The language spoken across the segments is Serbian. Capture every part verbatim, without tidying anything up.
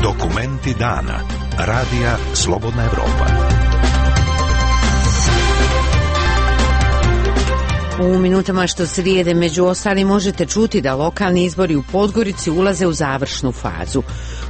Dokumenti dana. Radija Slobodna Evropa. U minutama što slijede među ostalim možete čuti da lokalni izbori u Podgorici ulaze u završnu fazu.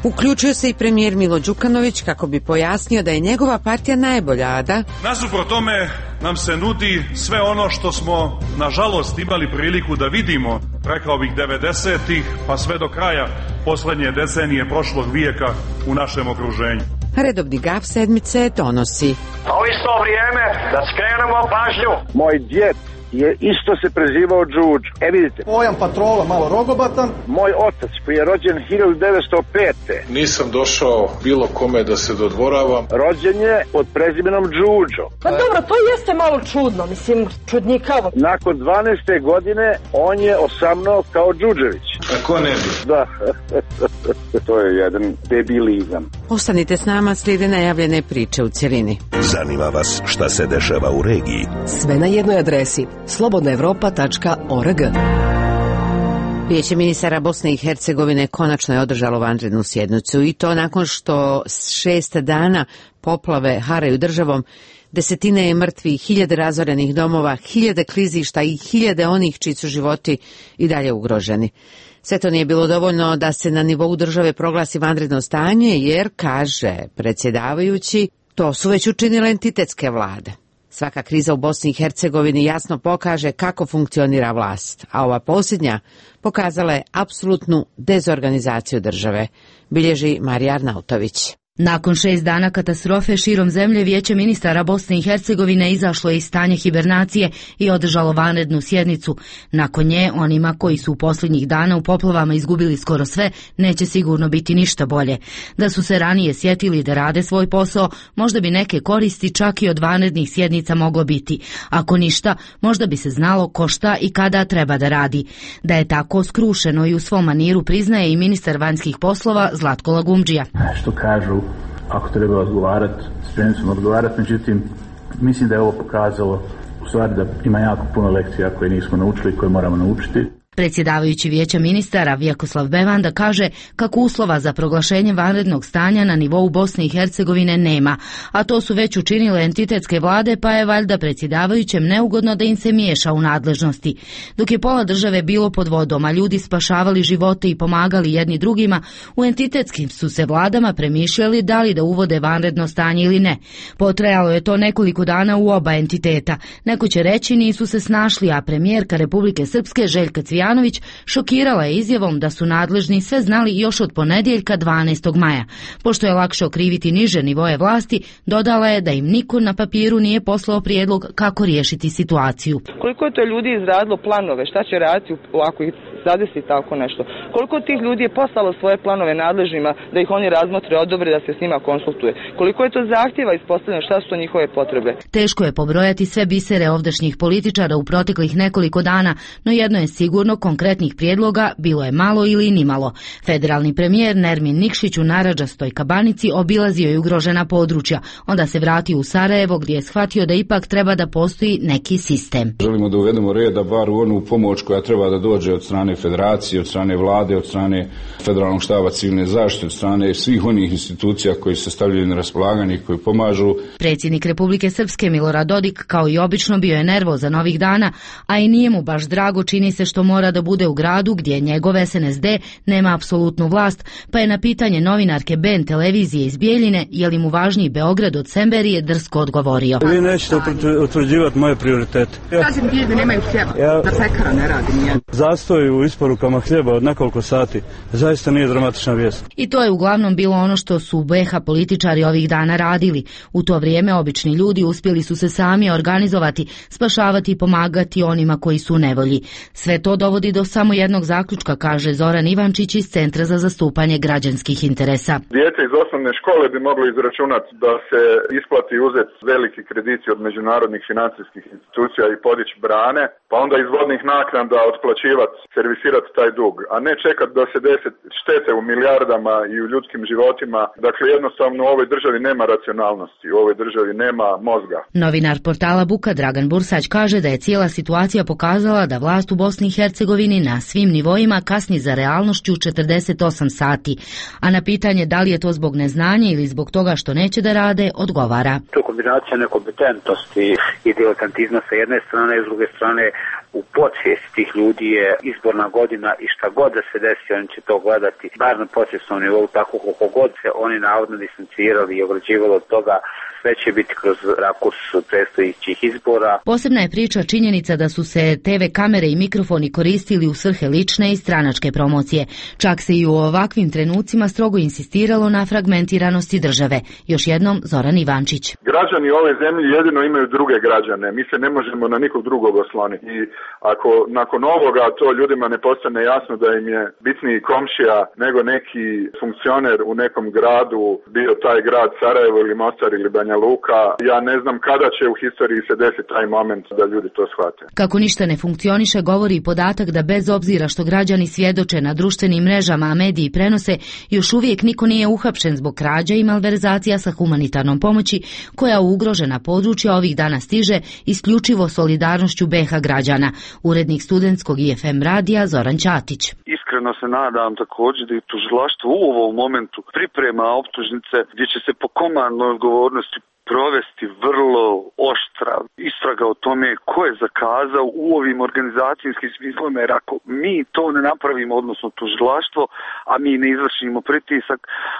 Uključio se i premijer Milo Đukanović kako bi pojasnio da je njegova partija najbolja, a da... Nasuprot tome nam se nudi sve ono što smo, nažalost, imali priliku da vidimo, rekao bih, devedesetih pa sve do kraja poslednje decenije prošlog vijeka u našem okruženju. Redovni gaf sedmice donosi. A u isto vrijeme da skrenemo pažnju. Moj djed je isto se prezivao Đuđo. E vidite. Pojam patrola malo rogobatan. Moj otac koji je rođen hiljadu devetsto pete. Nisam došao bilo kome da se dodvoravam. Rođen je pod prezimenom Đuđo. Pa dobro, to jeste malo čudno, mislim, čudnikavo. Nakon dvanaeste godine on je osamnuo kao Đuđević. A ko ne bi? Da, to je jedan debilizam. Ostanite s nama, slijede najavljene priče u cjelini. Zanima vas šta se dešava u regiji? Sve na jednoj adresi slobodna evropa tačka org. Vijeće ministara Bosne i Hercegovine konačno je održalo vanrednu sjednicu i to nakon što šest dana poplave haraju državom, desetine je mrtvih, hiljade razorenih domova, hiljade klizišta i hiljade onih čiji su životi i dalje ugroženi. Sve to nije bilo dovoljno da se na nivou države proglasi vanredno stanje jer, kaže predsjedavajući, to su već učinile entitetske vlade. Svaka kriza u Bosni i Hercegovini jasno pokaže kako funkcionira vlast, a ova posljednja pokazala je apsolutnu dezorganizaciju države, bilježi Marija Arnautović. Nakon šest dana katastrofe širom zemlje, Vijeće ministara Bosne i Hercegovine izašlo je iz stanja hibernacije i održalo vanrednu sjednicu. Nakon nje, onima koji su u posljednjih dana u poplavama izgubili skoro sve, neće sigurno biti ništa bolje. Da su se ranije sjetili da rade svoj posao, možda bi neke koristi čak i od vanrednih sjednica moglo biti. Ako ništa, možda bi se znalo ko šta i kada treba da radi. Da je tako skrušeno i u svom maniru priznaje i ministar vanjskih poslova Zlatko Lagumdžija. Što kažu, ako treba odgovarati, spremni smo odgovarati, međutim, mislim da je ovo pokazalo u stvari da ima jako puno lekcija koje nismo naučili i koje moramo naučiti. Predsjedavajući Vijeća ministara Vjekoslav Bevanda kaže kako uslova za proglašenje vanrednog stanja na nivou Bosne i Hercegovine nema, a to su već učinile entitetske vlade, pa je valjda predsjedavajućem neugodno da im se miješa u nadležnosti. Dok je pola države bilo pod vodom, a ljudi spašavali živote i pomagali jedni drugima, u entitetskim su se vladama premišljali da li da uvode vanredno stanje ili ne. Potrajalo je to nekoliko dana u oba entiteta. Neko će reći nisu se snašli, a premijerka Republike Srpske Željka Cvijanović šokirala je izjavom da su nadležni sve znali još od ponedjeljka dvanaestog maja. Pošto je lakše okriviti niže nivoje vlasti, dodala je da im niko na papiru nije poslao prijedlog kako riješiti situaciju. Koliko je to ljudi izradilo planove, šta će raditi ako ih zadesi tako nešto? Koliko tih ljudi je poslalo svoje planove nadležnima da ih oni razmotre, odobre, da se s njima konsultuje? Koliko je to zahtjeva ispostavljeno, šta su to njihove potrebe? Teško je pobrojati sve bisere ovdašnjih političara u proteklih nekoliko dana, no jedno je sigurno, konkretnih prijedloga bilo je malo ili nimalo. Federalni premijer Nermin Nikšić u narandžastoj kabanici obilazio je ugrožena područja, onda se vratio u Sarajevo gdje je shvatio da ipak treba da postoji neki sistem. Želimo da uvedemo reda bar u onu pomoć koja treba da dođe od strane federacije, od strane vlade, od strane federalnog štaba civilne zaštite, od strane svih onih institucija koji se stavljaju na raspolaganje i koji pomažu. Predsjednik Republike Srpske Milorad Dodik kao i obično bio je nervozan ovih dana, a i nije mu baš drago, čini se što mora da bude u gradu gdje njegov S N S D nema apsolutnu vlast, pa je na pitanje novinarke B N televizije iz Bijeljine je li mu važniji Beograd od Semberije drsko odgovorio. Vi nećete utvrđivati moje prioritete. Kažem, ljudi nemaju hljeba, ja, da pekara ne radi nijedno. Zastoj u isporukama hljeba od nekoliko sati zaista nije dramatična vijest. I to je uglavnom bilo ono što su u B iH političari ovih dana radili. U to vrijeme obični ljudi uspjeli su se sami organizovati, spašavati i pomagati onima koji su u nevolji. Sve to dovodi do samo jednog zaključka, kaže Zoran Ivančić iz Centra za zastupanje građanskih interesa. Dijete iz osnovne škole bi moglo izračunati da se isplati uzeti veliki krediti od međunarodnih financijskih institucija i podići brane, pa onda iz vodnih naknada otplaćivati servise servisirati taj dug, a ne čekati da se desi štete u milijardama i u ljudskim životima. Dakle, jednostavno u ovoj državi nema racionalnosti, u ovoj državi nema mozga. Novinar portala Buka Dragan Bursać kaže da je cijela situacija pokazala da vlast u Bosni i Hercegovini na svim nivoima kasni za realnošću četrdeset osam sati, a na pitanje da li je to zbog neznanja ili zbog toga što neće da rade, odgovara. To je kombinacija nekompetentnosti i diletantizma sa jedne strane, i s druge strane u podsvijesti tih ljudi je izborna godina i šta god da se desi, oni će to gledati, bar na podsvjesnom nivou, tako koliko god se oni navodno distancirali i ograđivali od toga, sve će biti kroz rakurs predstojećih izbora. Posebna je priča činjenica da su se te ve kamere i mikrofoni koristili u svrhe lične i stranačke promocije. Čak se i u ovakvim trenucima strogo insistiralo na fragmentiranosti države. Još jednom Zoran Ivančić. Građani ove zemlje jedino imaju druge građane. Mi se ne možemo na nikog drugog osloniti. I ako nakon ovoga to ljudima ne postane jasno da im je bitniji komšija nego neki funkcioner u nekom gradu, bio taj grad Sarajevo ili Mostar ili Banja Luka, ja ne znam kada će u historiji se desiti taj moment da ljudi to shvate. Kako ništa ne funkcioniše, govori i podatak da bez obzira što građani svjedoče na društvenim mrežama, a mediji prenose, još uvijek niko nije uhapšen zbog krađa i malverzacija sa humanitarnom pomoći koja u ugrožena područja ovih dana stiže isključivo solidarnošću be ha građana. Urednik studentskog i ef em radija Zoran Ćatić. Iskreno se nadam također da i tužilaštvo u ovom momentu priprema optužnice gdje će se po komandnoj odgovornosti provesti vrlo oštra istraga o tome ko je zakazao u ovim organizacijskim smislima, jer ako mi to ne napravimo, odnosno tužilaštvo, a mi ne izvršimo pritisak,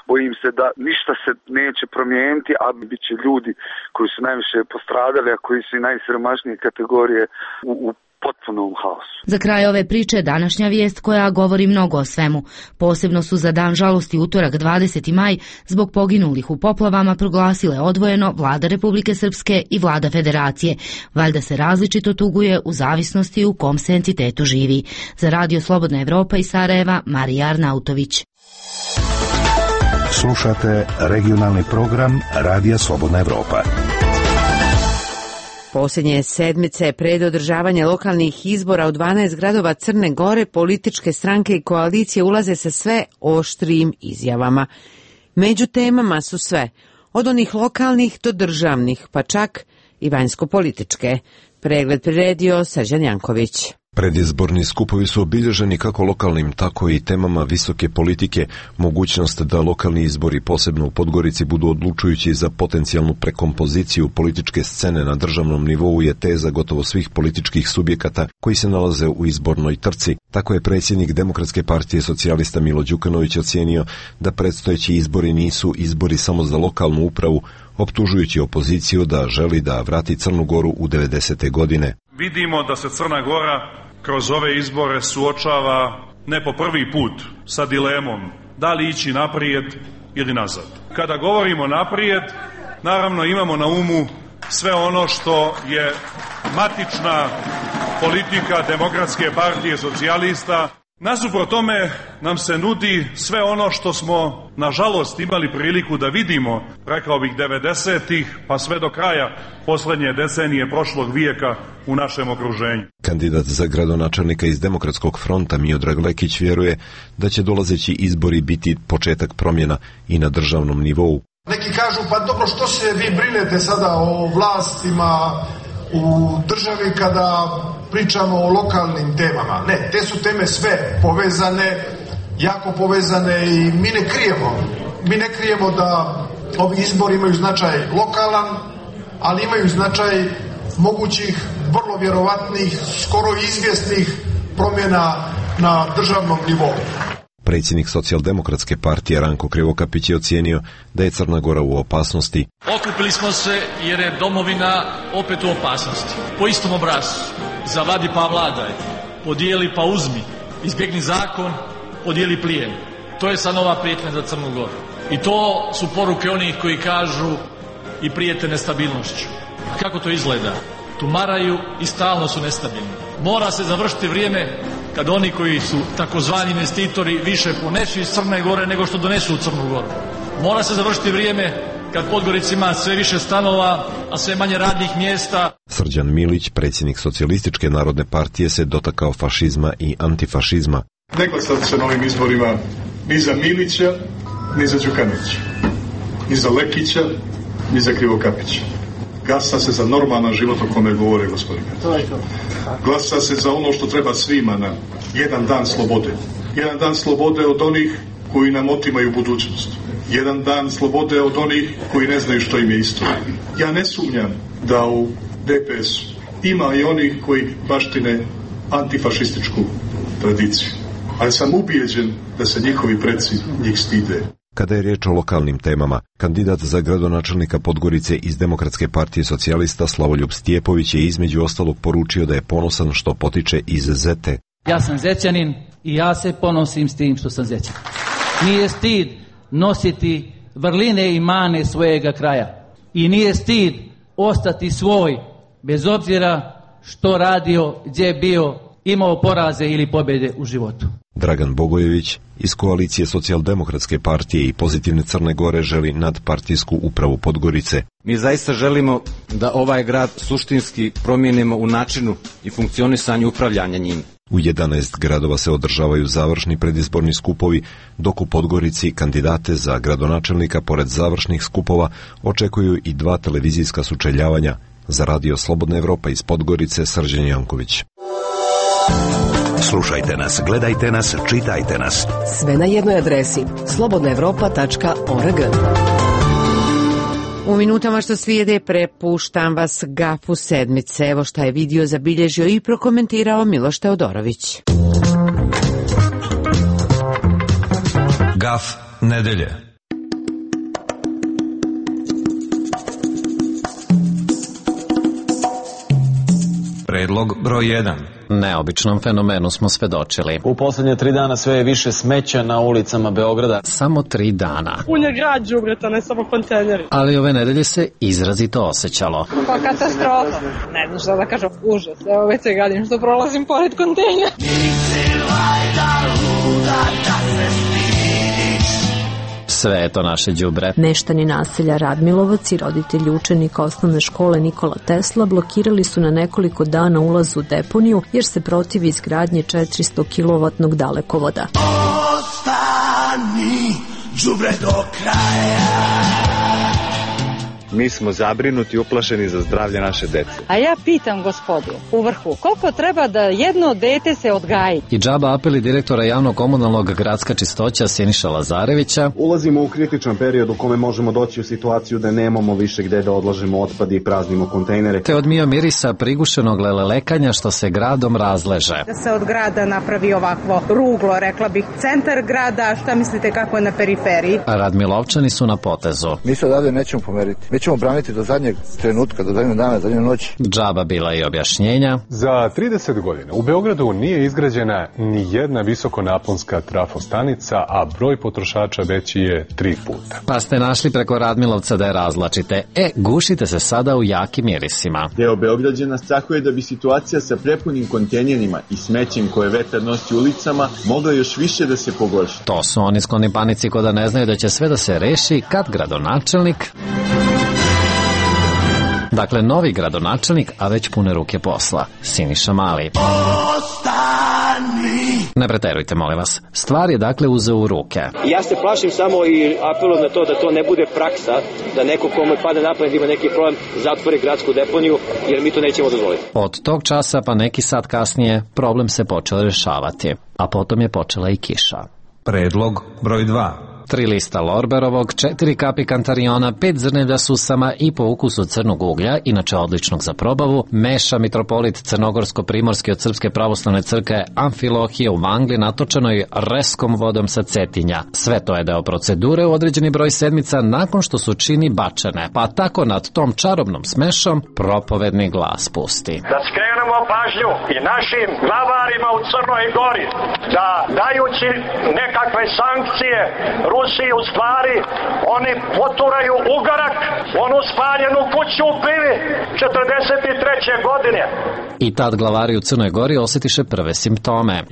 bojim se da ništa se neće promijeniti, a bit će ljudi koji su najviše postradali, a koji su i najsiromašnije kategorije u, u potpunom haosu. Za kraj ove priče današnja vijest koja govori mnogo o svemu. Posebno su za dan žalosti utorak dvadeseti maj zbog poginulih u poplavama proglasile odvojeno Vlada Republike Srpske i Vlada Federacije. Valjda se različito tuguje u zavisnosti u kom se entitetu živi. Za Radio Slobodna Evropa iz Sarajeva, Marija Arnautović. Slušate regionalni program Radija Slobodna Evropa. Posljednje sedmice pred održavanje lokalnih izbora u dvanaest gradova Crne Gore političke stranke i koalicije ulaze sa sve oštrijim izjavama. Među temama su sve, od onih lokalnih do državnih, pa čak i vanjsko-političke. Pregled priredio Srđan Janković. Predizborni skupovi su obilježeni kako lokalnim, tako i temama visoke politike. Mogućnost da lokalni izbori, posebno u Podgorici, budu odlučujući za potencijalnu prekompoziciju političke scene na državnom nivou je teza gotovo svih političkih subjekata koji se nalaze u izbornoj trci. Tako je predsjednik Demokratske partije socijalista Milo Đukanović ocijenio da predstojeći izbori nisu izbori samo za lokalnu upravu, optužujući opoziciju da želi da vrati Crnu Goru u devedesete godine. Vidimo da se Crna Gora kroz ove izbore suočava ne po prvi put sa dilemom da li ići naprijed ili nazad. Kada govorimo naprijed, naravno imamo na umu sve ono što je matična politika Demokratske partije socijalista. Nasuprot tome nam se nudi sve ono što smo nažalost imali priliku da vidimo, rekao bih devedesetih pa sve do kraja posljednje decenije prošlog vijeka u našem okruženju. Kandidat za gradonačelnika iz Demokratskog fronta Miodrag Lekić vjeruje da će dolazeći izbori biti početak promjena i na državnom nivou. Neki kažu pa dobro, što se vi brinete sada o vlastima u državi kada pričamo o lokalnim temama. Ne, te su teme sve povezane, jako povezane i mi ne krijemo. Mi ne krijemo da ovi izbori imaju značaj lokalan, ali imaju značaj mogućih, vrlo vjerovatnih, skoro izvjesnih promjena na državnom nivou. Predsjednik Socijaldemokratske partije Ranko Krivokapić je ocijenio da je Crna Gora u opasnosti. Okupili smo se jer je domovina opet u opasnosti. Po istom obrascu. Zavadi pa vladaj, podijeli pa uzmi, izbjegni zakon, podijeli plijen. To je sad nova prijetnja za Crnu Goru. I to su poruke onih koji kažu i prijete nestabilnošću. A kako to izgleda? Tumaraju i stalno su nestabilni. Mora se završiti vrijeme kad oni koji su takozvani investitori više ponesu iz Crne Gore nego što donesu u Crnu Goru. Mora se završiti vrijeme kad Podgorica ima sve više stanova a sve manje radnih mjesta. Srđan Milić, predsjednik Socijalističke narodne partije, se dotakao fašizma i antifašizma. Ne glasam se na ovim izborima ni za Milića, ni za Đukanovića, ni za Lekića, ni za Krivokapića. Glasa se za normalan život o kome govore gospodine. Glasa se za ono što treba svima na jedan dan slobode. Jedan dan slobode od onih koji nam otimaju budućnost. Jedan dan slobode od onih koji ne znaju što im je istorija. Ja ne sumnjam da u D P S-u ima i onih koji baštine antifašističku tradiciju. Ali sam ubijeđen da se njihovi preci njih stide. Kada je riječ o lokalnim temama, kandidat za gradonačelnika Podgorice iz Demokratske partije socijalista Slavoljub Stjepović je između ostalog poručio da je ponosan što potiče iz Zete. Ja sam Zećanin i ja se ponosim s tim što sam Zećanin. Nije stid nositi vrline i mane svojega kraja. I nije stid ostati svoj, bez obzira što radio, gdje bio, imao poraze ili pobjede u životu. Dragan Bogojević iz koalicije Socijaldemokratske partije i Pozitivne Crne Gore želi nadpartijsku upravu Podgorice. Mi zaista želimo da ovaj grad suštinski promijenimo u načinu i funkcionisanju upravljanja njim. U jedanaest gradova se održavaju završni predizborni skupovi, dok u Podgorici kandidate za gradonačelnika pored završnih skupova očekuju i dva televizijska sučeljavanja. Za Radio Slobodna Evropa iz Podgorice, Srđan Janković. Slušajte nas, gledajte nas, čitajte nas. Sve na jednoj adresi slobodna evropa tačka org. U minutama što slijede prepuštam vas gafu sedmice. Evo šta je video zabilježio i prokomentirao Miloš Teodorović. Gaf nedelje. Predlog broj jedan. Neobičnom fenomenu smo svedočili. U posljednje tri dana sve je više smeća na ulicama Beograda. Samo tri dana. Pun je grad đubreta, ne samo kontejneri. Ali ove nedelje se izrazito osjećalo. Pa katastrofa. Ne znam šta da kažem, užas. Evo već se gadim što prolazim pored kontejnera. Sve je to naše đubre. Meštani naselja Radmilovac i roditelji učenika osnovne škole Nikola Tesla blokirali su na nekoliko dana ulaz u deponiju jer se protivi izgradnje četiristo kilovatnog dalekovoda. Ostani đubre do kraja. Mi smo zabrinuti i uplašeni za zdravlje naše dece. A ja pitam gospodu u vrhu, koliko treba da jedno dete se odgaji? I džaba apeli direktora javnog komunalnog gradska čistoća Siniša Lazarevića. Ulazimo u kritičan period u kome možemo doći u situaciju da nemamo više gde da odlažemo otpad i praznimo kontejnere. Te od mio mirisa prigušenog lelekanja što se gradom razleže. Da se od grada napravi ovakvo ruglo, rekla bih, centar grada, šta mislite kako je na periferiji? A Radmilovčani su na potezu. Mi se odavde nećemo pomeriti. Mi ćemo braniti do zadnjeg trenutka, do zadnjeg dana, do zadnje noći. Džaba bila i objašnjenja. Za trideset godina u Beogradu nije izgrađena ni jedna visokonaponska trafostanica, a broj potrošača veći je tri puta. Pa ste našli preko Radmilovca da je razlačite. E, gušite se sada u jakim mirisima. Deo Beograđana strahuje da bi situacija sa prepunim kontejnerima i smećem koje vetar nosi ulicama mogla još više da se pogorša. To su oni skloni panici ko da ne znaju da će sve da se reši kad gradonačelnik... Dakle, novi gradonačelnik, a već pune ruke posla. Siniša Mali. Ostani! Ne preterujte, molim vas. Stvar je dakle uzeo u ruke. Ja se plašim samo i apelujem na to da to ne bude praksa, da neko komu pada na pamet ima neki problem zatvori gradsku deponiju, jer mi to nećemo dozvoliti. Od tog časa pa neki sat kasnije problem se počeo rešavati, a potom je počela i kiša. Predlog broj dva. Tri lista lorberovog, četiri kapi kantariona, pet zrnevlja susama i po ukusu crnog uglja, inače odličnog za probavu, meša mitropolit crnogorsko-primorski od Srpske pravoslavne crkve Amfilohije u Vangli natočenoj reskom vodom sa Cetinja. Sve to je deo procedure u određeni broj sedmica nakon što su čini bačene, pa tako nad tom čarobnom smešom propovedni glas pusti. Da skrenemo pažnju i našim glavarima u Crnoj Gori da dajući nekakve sankcije Rusiji u stvari, oni poturaju ugarak, onu spaljenu kuću u Pivi četrdeset treće godine. I tad glavari u Crnoj Gori osjetiše prve simptome.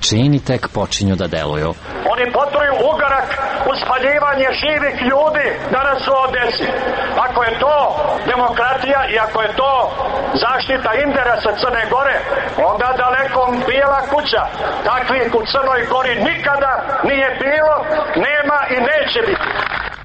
čini tek počinju da deluju. Oni potruju ugarak u spaljivanje živih ljudi da nas ovo desi. Ako je to demokratija i ako je to zaštita interesa Crne Gore, onda dalekom bijela kuća. Takvih u Crnoj Gori nikada nije bilo, nema i neće biti.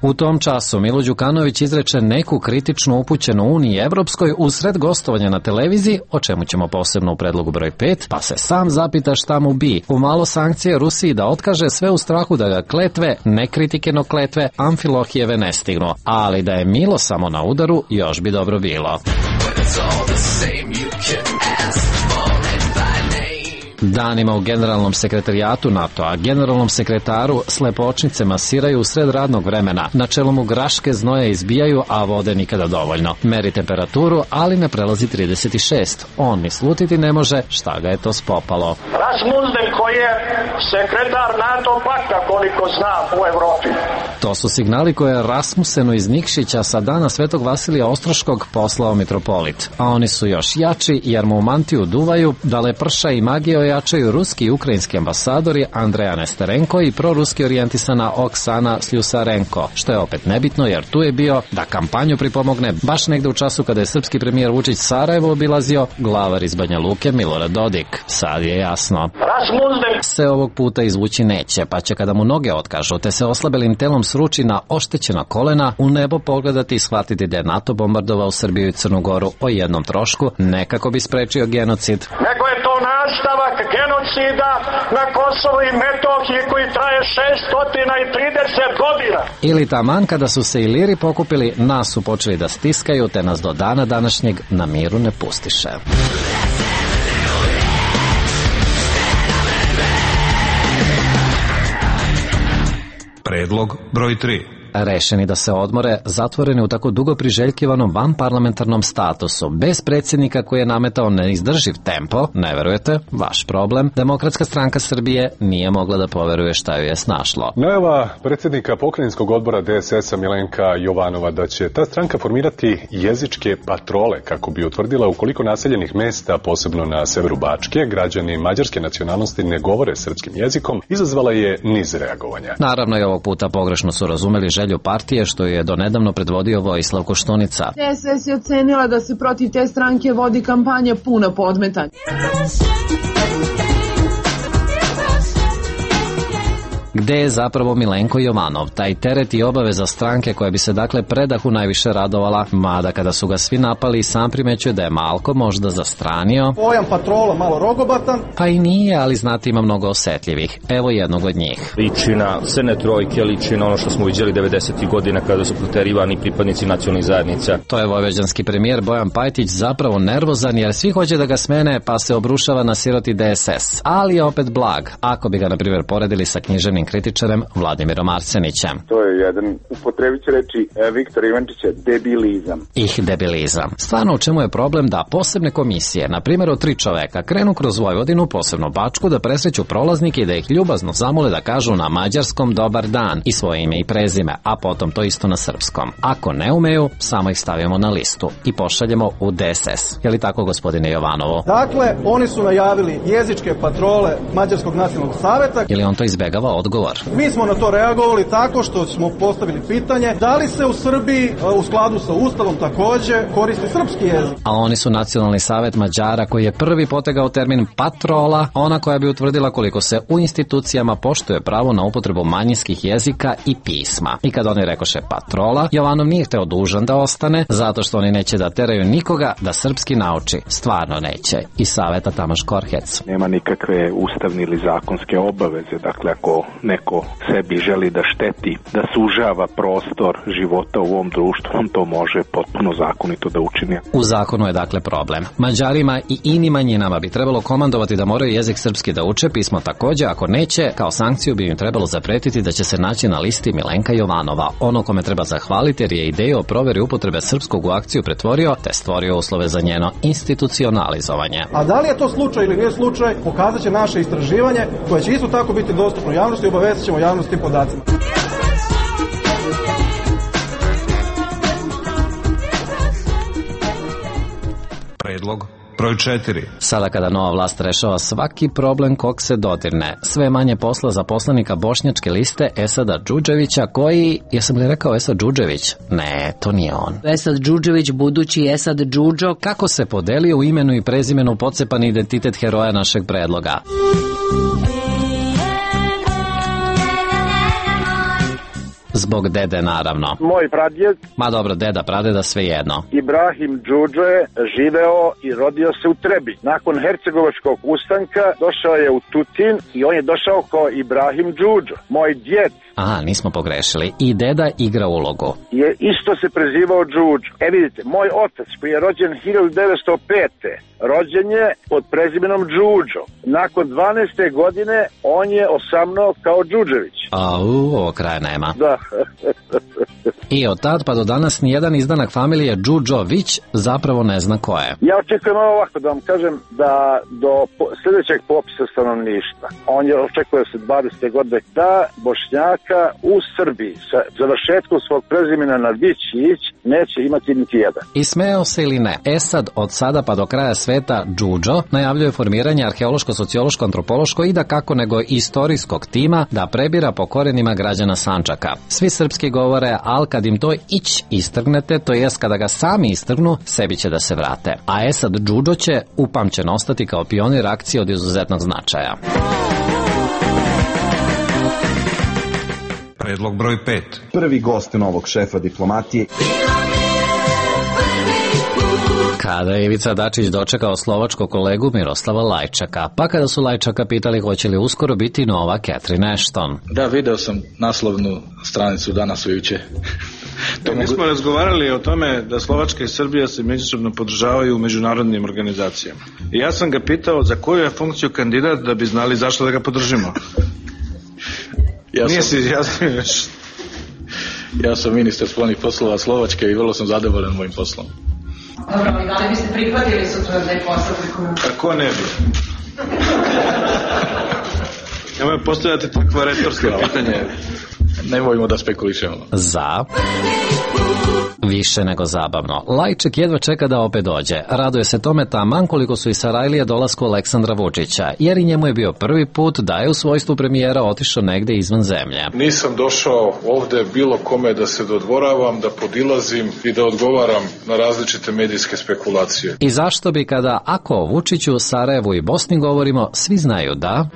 U tom času Milo Đukanović izreče neku kritičnu upućenu Uniji Evropskoj usred gostovanja na televiziji, o čemu ćemo posebno u predlogu broj pet, pa se sam zapita šta mu bi. U malo sankcije Rusiji da otkaže, sve u strahu da ga kletve, ne kritike no kletve, Amfilohijeve ne stignu. Ali da je Milo samo na udaru, još bi dobro bilo. Danima u generalnom sekretarijatu NATO-a, generalnom sekretaru slepočnice masiraju u sred radnog vremena. Na čelu mu graške znoje izbijaju, a vode nikada dovoljno. Meri temperaturu, ali ne prelazi trideset šest. On ni slutiti ne može šta ga je to spopalo. Rasmussen koji je sekretar NATO pakta, koliko znam, u Evropi. To su signali koje je Rasmussenu iz Nikšića sa dana Svetog Vasilija Ostroškog poslao mitropolit. A oni su još jači jer mu u mantiju duvaju, dale prša i magije ojačaju ruski i ukrajinski ambasadori Andreja Nesterenko i proruski orijentisana Oksana Sljusarenko, što je opet nebitno jer tu je bio da kampanju pripomogne baš negde u času kada je srpski premijer Vučić Sarajevo obilazio glavar iz Banja Luke Milorad Dodik. Sad je jasno. Se ovog puta izvući neće, pa će kada mu noge otkažu te se oslabelim telom sruči na oštećena kolena, u nebo pogledati i shvatiti da je NATO bombardovao Srbiju i Crnu Goru o jednom trošku, ne kako bi sprečio genocid, nego je to nastavak genocida na Kosovu i Metohiji koji traje šeststo trideset godina. Ili taman kada su se Iliri pokupili, nas su počeli da stiskaju, te nas do dana današnjeg na miru ne pustiše. Predlog broj tri. Rešeni da se odmore, zatvoreni u tako dugo priželjkivanom vanparlamentarnom statusu, bez predsjednika koji je nametao neizdrživ tempo, ne verujete, vaš problem, Demokratska stranka Srbije nije mogla da poveruje šta ju je snašlo. Najava predsjednika pokrajinskog odbora D S S-a Milenka Jovanova da će ta stranka formirati jezičke patrole kako bi utvrdila u koliko naseljenih mesta, posebno na severu Bačke, građani mađarske nacionalnosti ne govore srpskim jezikom, izazvala je niz reagovanja. Naravno i ovog puta pogrešno su razumeli želju partije što je donedavno predvodio Vojislav Koštunica. D S S je ocenila da se protiv te stranke vodi kampanja puna podmetanja. Gde je zapravo Milenko Jovanov, taj teret i obaveza stranke koja bi se dakle predahu najviše radovala, mada kada su ga svi napali i sam primećuje da je malko možda zastranio. Pojam patrola malo rogobatan. Pa i nije, ali znate ima mnogo osetljivih. Evo jednog od njih. Liči na crne trojke, liči na ono što smo vidjeli devedesetih godina kada su proterivani pripadnici nacionalnih zajednica. To je vojvođanski premijer Bojan Pajtić zapravo nervozan jer svi hoće da ga smene pa se obrušava na siroti D S S. Ali je opet blag, ako bi ga na primjer poredili sa književnim kritičarem Vladimirom Arsenićem. To je jedan, upotrebit ću reći Viktora Ivančića, debilizam. Ih debilizam. Stvarno u čemu je problem da posebne komisije, na primjer od tri čoveka, krenu kroz Vojvodinu, posebno Bačku, da presreću prolaznike i da ih ljubazno zamole da kažu na mađarskom dobar dan i svoje ime i prezime, a potom to isto na srpskom. Ako ne umeju, samo ih stavimo na listu i pošaljemo u D S S. Je li tako, gospodine Jovanovo? Dakle, oni su najavili jezičke patrole Mađarskog nacionalnog saveta. Ili on to izbegava odgovor? Mi smo na to reagovali tako što smo postavili pitanje da li se u Srbiji u skladu sa Ustavom takođe koristi srpski jezik. A oni su Nacionalni savet Mađara koji je prvi potegao termin patrola, ona koja bi utvrdila koliko se u institucijama poštuje pravo na upotrebu manjinskih jezika i pisma. I kad oni rekoše patrola, Jovanov nije hteo dužan da ostane, zato što oni neće da teraju nikoga da srpski nauči. Stvarno neće. I saveta Tamaš Korhec. Nema nikakve ustavne ili zakonske obaveze, dakle ako neko sebi želi da šteti, da sužava prostor života u ovom društvu, on to može potpuno zakonito da učini. U zakonu je dakle problem. Mađarima i inim manjinama bi trebalo komandovati da moraju jezik srpski da uče, pismo takođe, ako neće, kao sankciju bi im trebalo zapretiti da će se naći na listi Milenka Jovanova, ono kome treba zahvaliti jer je ideju o proveri upotrebe srpskog u akciju pretvorio te stvorio uslove za njeno institucionalizovanje. A da li je to slučaj ili nije slučaj, pokazat će naše istraživanje koje će isto tako biti dostupno javnosti i obavezat ćemo javnost tim podacima. Predlog broj četiri. Sada kada nova vlast rešava svaki problem kog se dodirne, sve manje posla za poslanika bošnjačke liste Esada Džudževića koji, jesam li rekao Esad Džudžević? Ne, to nije on. Esad Džudžević, budući Esad Džudžo. Kako se podelio u imenu i prezimenu pocepani identitet heroja našeg predloga? Zbog dede, naravno. Moj pradjed, ma dobro, deda, pradeda, svejedno. Ibrahim Džudžo je živeo i rodio se u Trebi. Nakon Hercegovačkog ustanka došao je u Tutin i on je došao kao Ibrahim Džudžo. Moj djed, aha, nismo pogrešili. I deda igra ulogu. je isto se prezivao Džudžo. E vidite, moj otac koji je rođen hiljadu devetsto pete. rođen je pod prezimenom Džudžo. Nakon dvanaeste godine on je osamnuo kao Džudžević. A u, ovo kraja nema. Da. I od tad pa do danas nijedan izdanak familije Džudžović zapravo ne zna ko je. Ja očekujem ovako da vam kažem da do sljedećeg popisa stanovništva, on je očekuje se dvadesete godine, da Bošnjaka u Srbiji sa završetkom svog prezimena na Vićić neće imati niti jedan. I smeo se ili ne, Esad od sada pa do kraja sveta Džudžo najavljuje formiranje arheološko-sociološko-antropološko i da kako nego istorijskog tima da prebira po korenima građana Sandžaka. Svi srpski govore, al kad im to ić istrgnete, to jest kada ga sami istrgnu, sebi će da se vrate. A Esad Džudžo će upamćen ostati kao pionir akcije od izuzetnog značaja. Predlog broj pet. Prvi gost novog šefa diplomatije. Kada je Ivica Dačić dočekao slovačkog kolegu Miroslava Lajčaka, pa kada su Lajčaka pitali hoće li uskoro biti nova Catherine Ashton. Da, video sam naslovnu stranicu danas ujuče. To mi smo razgovarali o tome da Slovačka i Srbija se međusobno podržavaju u međunarodnim organizacijama. I ja sam ga pitao za koju je funkciju kandidat da bi znali zašto da ga podržimo. Ja Nije sam... si izjasnio još. Ja sam ministar spoljnih poslova Slovačke i vrlo sam zadovoljan mojim poslom. Dobro, ali da li biste prihvatili sutra da je posao? A ko ne bi? Nemoj postavljati takva retorska pitanje. Nemojmo da spekulišemo. Za... Više nego zabavno. Lajček jedva čeka da opet dođe. Raduje se tome taman koliko su i Sarajlije dolasku Aleksandra Vučića, jer i njemu je bio prvi put da je u svojstvu premijera otišao negde izvan zemlje. Nisam došao ovde bilo kome da se dodvoravam, da podilazim i da odgovaram na različite medijske spekulacije. I zašto bi kada ako o Vučiću, Sarajevu i Bosni govorimo, svi znaju da...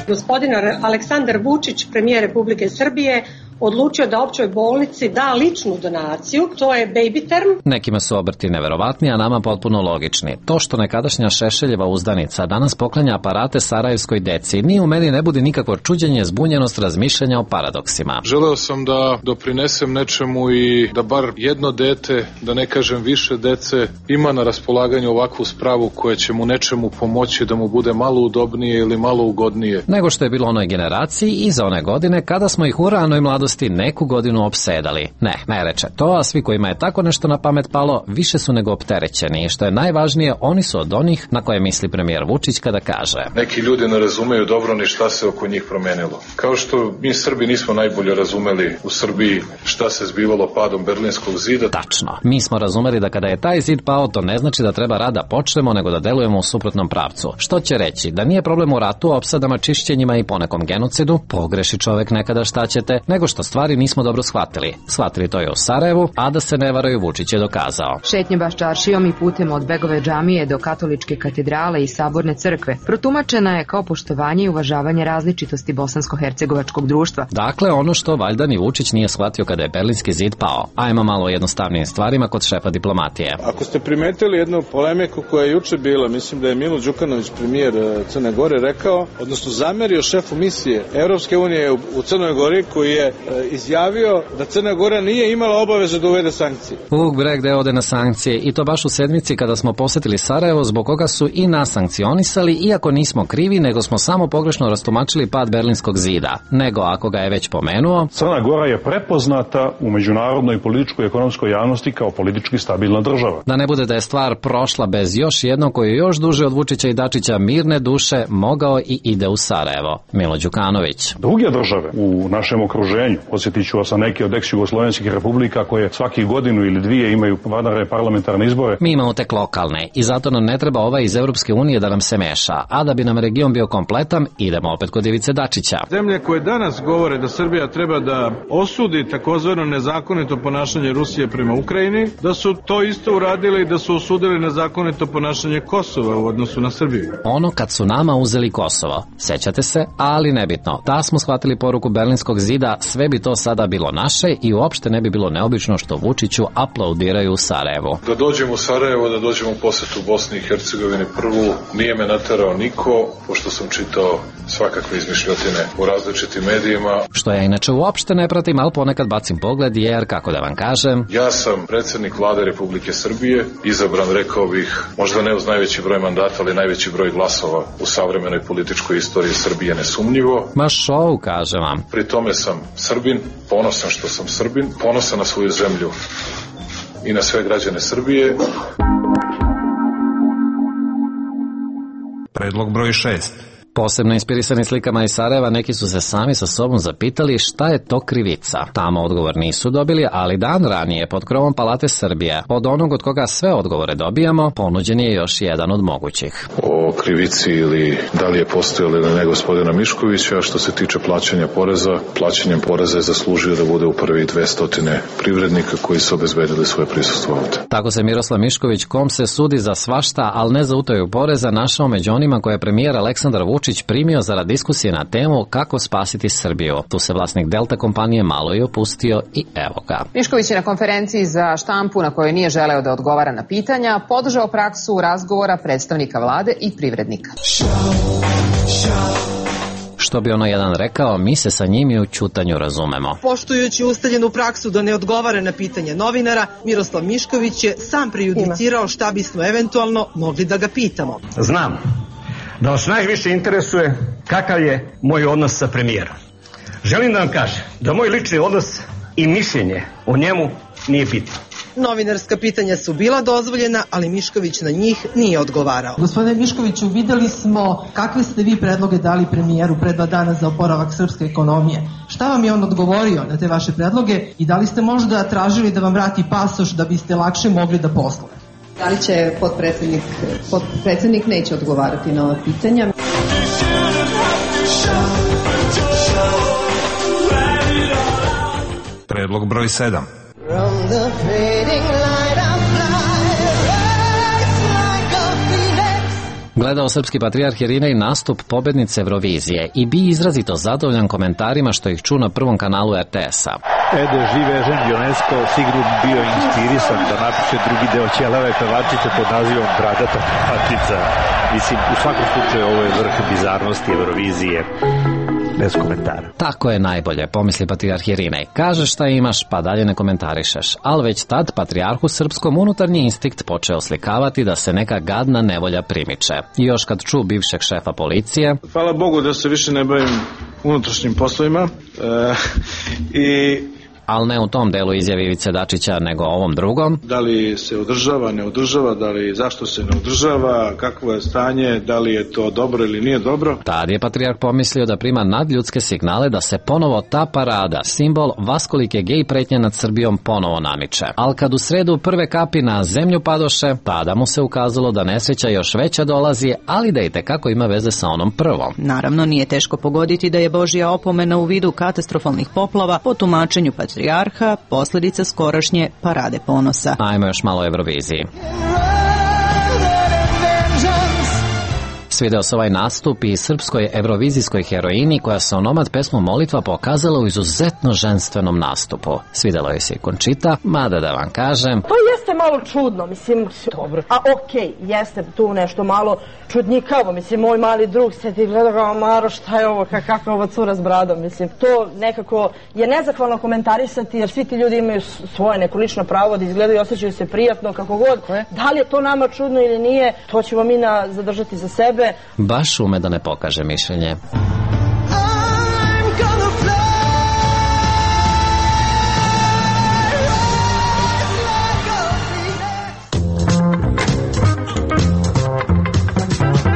Gospodin Aleksandar Vučić, premijer Republike Srbije, odlučio da općoj bolnici da ličnu donaciju, to je baby term. Nekima su obrti neverovatni, a nama potpuno logični. To što nekadašnja Šešeljeva uzdanica danas poklanja aparate sarajevskoj deci, ni u meni ne budi nikakvo čuđenje, zbunjenost razmišljanja o paradoksima. Želeo sam da doprinesem nečemu i da bar jedno dete, da ne kažem više dece, ima na raspolaganju ovakvu spravu koja će mu nečemu pomoći da mu bude malo udobnije ili malo ugodnije. Nego što je bilo onoj generaciji i za one godine kada smo ih u ranoj mladosti neku godinu opsedali. Ne, ne reče to, a svi kojima je tako nešto na pamet palo više su nego opterećeni i što je najvažnije, oni su od onih na koje misli premijer Vučić kada kaže: Neki ljudi ne razumeju dobro ni šta se oko njih promenilo. Kao što mi Srbi nismo najbolje razumeli u Srbiji šta se zbivalo padom Berlinskog zida. Tačno. Mi smo razumeli da kada je taj zid pao, to ne znači da treba rad da počnemo, nego da delujemo u suprotnom pravcu. Što će reći? Da nije problem u ratu, opsadama, čišćenjima i ponekom genocidu, pogreši čovek nekada, šta ćete, nego što stvari nismo dobro shvatili. Shvatili to je u Sarajevu, a da se ne varaju, Vučić je dokazao. Šetnje Baščaršijom i putem od Begove džamije do Katoličke katedrale i Saborne crkve protumačena je kao poštovanje i uvažavanje različitosti bosansko-hercegovačkog društva. Dakle, ono što valjda ni Vučić nije shvatio kada je Berlinski zid pao. Ajmo malo o jednostavnijim stvarima kod šefa diplomatije. Ako ste primetili jednu polemiku koja je juče bila, mislim da je Milo Đukanović, premijer Crne Gore, rekao, odnosno zamerio šefu misije Evropske unije u Crnoj Gori, koji je izjavio da Crna Gora nije imala obavezu da uvede sankcije. Vuk Breg gde ode na sankcije i to baš u sedmici kada smo posetili Sarajevo, zbog koga su i nas sankcionisali, iako nismo krivi, nego smo samo pogrešno rastumačili pad Berlinskog zida. Nego ako ga je već pomenuo, Crna Gora je prepoznata u međunarodnoj političkoj i ekonomskoj javnosti kao politički stabilna država. Da ne bude da je stvar prošla bez još jednog koji je još duže od Vučića i Dačića mirne duše mogao i ide u Sarajevo. Milo Đukanović. Druge države u našem okruženju proširenju. Posjetit ću vas na neke od ex-jugoslovenskih republika koje svaki godinu ili dvije imaju vanredne parlamentarne izbore. Mi imamo tek lokalne i zato nam ne treba ovaj iz Europske unije da nam se meša, a da bi nam region bio kompletan, idemo opet kod Ivice Dačića. Zemlje koje danas govore da Srbija treba da osudi takozvano nezakonito ponašanje Rusije prema Ukrajini, da su to isto uradili i da su osudili nezakonito ponašanje Kosova u odnosu na Srbiju. Ono kad su nama uzeli Kosovo, sećate se, ali nebitno. Da smo shvatili poruku Berlinskog zida, sve bi to sada bilo naše i uopšte ne bi bilo neobično što Vučiću aplaudiraju u Sarajevu. Da dođemo u Sarajevo, da dođemo u posetu Bosni i Hercegovini prvu, nije me naterao niko, pošto sam čitao svakakve izmišljotine u različitim medijima. Što ja inače uopšte ne pratim, ali ponekad bacim pogled jer, kako da vam kažem... Ja sam predsjednik Vlade Republike Srbije, izabran, rekao bih, možda ne uz najveći broj mandata, ali najveći broj glasova u savremenoj političkoj istoriji Srbije, nesumnjivo. Ma šou, kažem vam. Pri tome sam Srbin, ponosan što sam Srbin, ponosan na svoju zemlju i na sve građane Srbije. Predlog broj šest. Posebno inspirisani slikama iz Sarajeva, neki su se sami sa sobom zapitali šta je to krivica. Tamo odgovor nisu dobili, ali dan ranije pod krovom Palate Srbije, od onog od koga sve odgovore dobijamo, ponuđen je još jedan od mogućih. O krivici ili da li je postojala ili ne gospodina Miškovića, što se tiče plaćanja poreza, plaćanjem poreza je zaslužio da bude u prvi dvestotine privrednika koji su obezbedili svoje prisustvo ovde. Tako se Miroslav Mišković, kom se sudi za svašta, ali ne za utaju poreza, našao među onima koje je premijer Aleksandar Vučić primio zarad diskusije na temu kako spasiti Srbiju. Tu se vlasnik Delta kompanije malo i opustio i evo ga. Mišković je na konferenciji za štampu na kojoj nije želeo da odgovara na pitanja podržao praksu razgovora predstavnika vlade i privrednika. Što bi ono jedan rekao, mi se sa njim i u ćutanju razumemo. Poštujući ustaljenu praksu da ne odgovara na pitanje novinara, Miroslav Mišković je sam prejudicirao šta bismo eventualno mogli da ga pitamo. Znam da vas najviše interesuje kakav je moj odnos sa premijerom. Želim da vam kažem da moj lični odnos i mišljenje o njemu nije bitno. Novinarska pitanja su bila dozvoljena, ali Mišković na njih nije odgovarao. Gospodine Miškoviću, videli smo kakve ste vi predloge dali premijeru pre dva dana za oporavak srpske ekonomije. Šta vam je on odgovorio na te vaše predloge i da li ste možda tražili da vam vrati pasoš da biste lakše mogli da poslujete? Da li će potpredsednik, potpredsednik neće odgovarati na ova pitanja? Predlog broj sedam. Gledao srpski patrijarh Irinej nastup pobednice Eurovizije i bi izrazito zadovoljan komentarima što ih ču na prvom kanalu er te es-a. Ede Živežen Jonesko sigurno bio inspirisan da napiše drugi deo Ćelave pevačice pod nazivom Bradata pevačica. Mislim, u svakom slučaju ovo je vrh bizarnosti Eurovizije. Bez komentara. Tako je najbolje, pomisli patrijarh Irinej. Kažeš šta imaš, pa dalje ne komentarišeš. Ali već tad patrijarhu srpskom unutarnji instinkt počeo slikavati da se neka gadna nevolja primiče. I još kad ču bivšeg šefa policije... Hvala Bogu da se više ne bavim unutrašnjim poslovima e, i... ali ne u tom delu izjave Ivice Dačića, nego ovom drugom. Da li se održava, ne održava, da li zašto se ne održava, kakvo je stanje, da li je to dobro ili nije dobro. Tad je patrijarh pomislio da prima nadljudske signale da se ponovo ta parada, simbol vaskolike gej pretnje nad Srbijom, ponovo namiče. Ali kad u sredu prve kapi na zemlju padoše, tada mu se ukazalo da nesreća još veća dolazi, ali da i tekako ima veze sa onom prvom. Naravno, nije teško pogoditi da je Božja opomena u vidu katastrofalnih poplava po tumačenju patrijarha posljedica skorašnje parade ponosa. Ajmo još malo o Euroviziji. Svideo se ovaj nastup i srpskoj evrovizijskoj heroini koja se onomad pesmu Molitva pokazala u izuzetno ženstvenom nastupu. Svidelo je se i Končita, mada da vam kažem... To jeste malo čudno, mislim, dobro. A okej, okay, jeste tu nešto malo čudnjikavo, mislim, moj mali drug se ti gleda kao Maro, šta je ovo, kakva ova cura s bradom, mislim. To nekako je nezahvalno komentarisati jer svi ti ljudi imaju svoje neko lično pravo da izgledaju i osjećaju se prijatno, kako god. Da li je to nama čudno ili nije, to ćemo mi na, zadržati za sebe. Baš ume da ne pokaže mišljenje.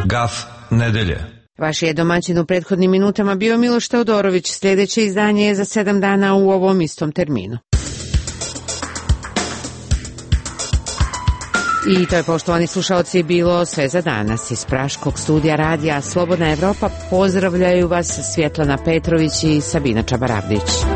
Gaf nedelje. Vaš je domaćin u prethodnim minutama bio Miloš Teodorović. Sljedeće izdanje je za sedam dana u ovom istom terminu. I to je, poštovani slušalci, bilo sve za danas. Iz Praškog studija radija Slobodna Evropa pozdravljaju vas Svjetlana Petrović i Sabina Čabaravdić.